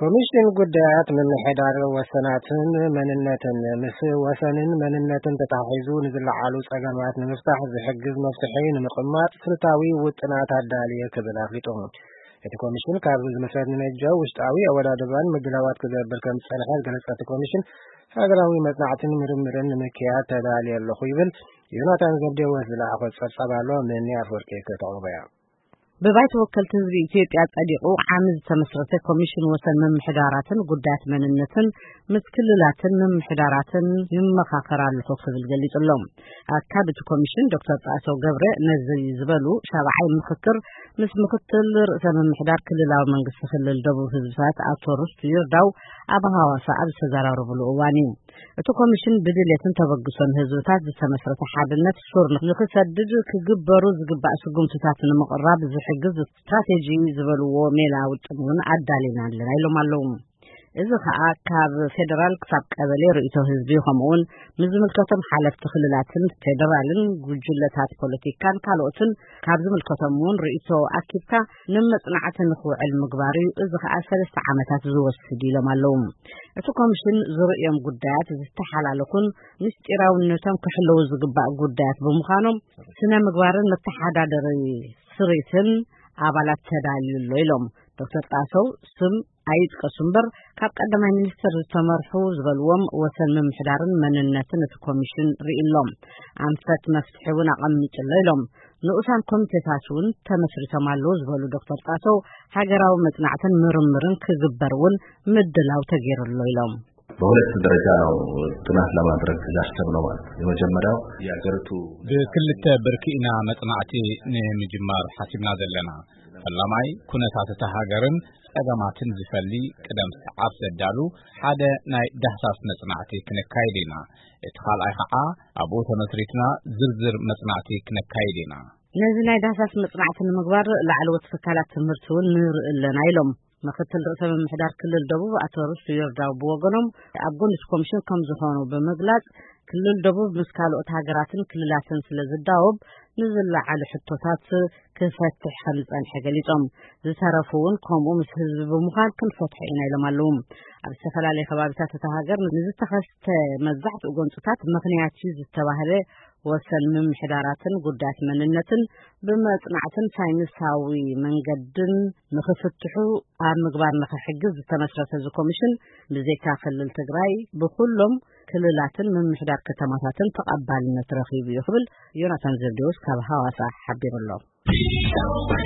ኮሚሽን ጉዳያት ምምሕዳር ወሰናትን መንነትን ምስ ወሰንን መንነትን ተታሒዙ ንዝለዓሉ ጸገማት ንምፍታሕ ዝሕግዝ መፍትሒ ንምቕማጥ ስልታዊ ውጥናት ኣዳልየ ክብል ኣፍሊጡ። እቲ ኮሚሽን ካብ ዝምስረት ንነጀው ውሽጣዊ ኣወዳድባን ምድላዋት ክገብር ከም ዝጸንሐ ዝገለጸ እቲ ኮሚሽን፣ ሃገራዊ መጽናዕትን ምርምርን ንምክያድ ተዳልየ ኣለኹ ይብል። ዮናታን ዘብዴዎስ ዝለኣኾ ጸብጻብ ኣሎ፣ ምኒ ኣፍወርቂ ከተቕርቦ እያ። ብባይቶ ወከልቲ ህዝቢ ኢትዮጵያ ጸዲቑ ዓሚ ዝተመስረተ ኮሚሽን ወሰን ምምሕዳራትን ጉዳያት መንነትን ምስ ክልላትን ምምሕዳራትን ይመኻኸር ኣለኹ ክብል ገሊጹ ኣሎ። ኣካቢ እቲ ኮሚሽን ዶክተር ጣሰው ገብረ ነዚ ዝበሉ ሻብዓይ ምኽክር ምስ ምኽትል ርእሰ ምምሕዳር ክልላዊ መንግስቲ ክልል ደቡብ ህዝብታት ኣቶ ርስቱ ይርዳው ኣብ ሃዋሳ ኣብ ዝተዘራረብሉ እዋን እዩ። እቲ ኮሚሽን ብድሌትን ተበግሶን ህዝብታት ዝተመስረተ ሓድነት ሱር ንክሰድድ ክግበሩ ዝግባእ ስጉምትታት ንምቕራብ ዝሕግዝ ስትራቴጂ ዝበልዎ ሜላ ውጥን እውን ኣዳሊና ኣለና ኢሎም ኣለዉ። እዚ ከኣ ካብ ፌደራል ክሳብ ቀበሌ ርእይቶ ህዝቢ፣ ከምኡውን ምስ ዝምልከቶም ሓለፍቲ ክልላትን ፌደራልን ጉጅለታት ፖለቲካን ካልኦትን ካብ ዝምልከቶም እውን ርእይቶ ኣኪብካ ንመጽናዕቲ ንክውዕል ምግባር እዩ። እዚ ከኣ ሰለስተ ዓመታት ዝወስድ ኢሎም ኣለዉ። እቲ ኮሚሽን ዝርእዮም ጉዳያት ዝተሓላለኹን ምስጢራውነቶም ክሕለዉ ዝግባእ ጉዳያት ብምዃኖም ስነ ምግባርን መተሓዳደሪ ስሪትን ኣባላት ተዳልዩ ኣሎ ኢሎም። ዶክተር ጣሰው ስም ኣይጥቀሱ እምበር ካብ ቀዳማይ ሚኒስትር ዝተመርሑ ዝበልዎም ወሰን ምምሕዳርን መንነትን እቲ ኮሚሽን ርኢ ኣሎም። ኣንፈት መፍትሒ እውን ኣቐሚጡ ኣሎ ኢሎም። ንኡሳን ኮሚቴታት እውን ተመስሪቶም ኣለዉ ዝበሉ ዶክተር ጣሰው ሃገራዊ መጽናዕትን ምርምርን ክግበር እውን ምድላው ተገይሩ ኣሎ ኢሎም። በሁለት ደረጃ ነው ጥናት ለማድረግ ያሰብነው ማለት ነው። የመጀመሪያው የሀገሪቱ ብክልተ ብርኪ ኢና መጽናዕቲ ንምጅማር ሓሲብና ዘለና። ፈላማይ ኩነታት እታ ሃገርን ጸገማትን ዝፈሊ ቅደም ሰዓብ ዘዳሉ ሓደ ናይ ዳህሳስ መጽናዕቲ ክነካይድ ኢና። እቲ ካልኣይ ኸዓ ኣብኡ ተመስሪትና ዝርዝር መጽናዕቲ ክነካይድ ኢና። ነዚ ናይ ዳህሳስ መጽናዕቲ ንምግባር ላዕለዎት ትካላት ትምህርቲ እውን ንርኢ ኣለና ኢሎም። ምክትል ርእሰ ምምሕዳር ክልል ደቡብ ኣቶ ርስቱ ይርዳው ብወገኖም ኣብ ጎኒ እቲ ኮሚሽን ከም ዝኾኑ ብምግላጽ ክልል ደቡብ ምስ ካልኦት ሃገራትን ክልላትን ስለ ዝዳወብ ንዝለዓሉ ሕቶታት ክፈትሕ ከም ዝጸንሐ ገሊጾም። ዝተረፉ እውን ከምኡ ምስ ህዝቢ ብምዃን ክንፈትሖ ኢና ኢሎም ኣለዉ። ኣብ ዝተፈላለዩ ከባቢታት እታ ሃገር ንዝተኸስተ መብዛሕትኡ ጎንጽታት ምኽንያት እዩ ዝተባህለ ወሰን ምምሕዳራትን ጉዳያት መንነትን ብመጽናዕትን ሳይንሳዊ መንገድን ንኽፍትሑ ኣብ ምግባር ንኽሕግዝ ዝተመስረተ እዚ ኮሚሽን ብዘይካ ክልል ትግራይ ብኩሎም ክልላትን ምምሕዳር ከተማታትን ተቐባልነት ረኺቡ እዩ ክብል ዮናታን ዘብዴዎስ ካብ ሃዋሳ ሓቢሩ ኣሎ።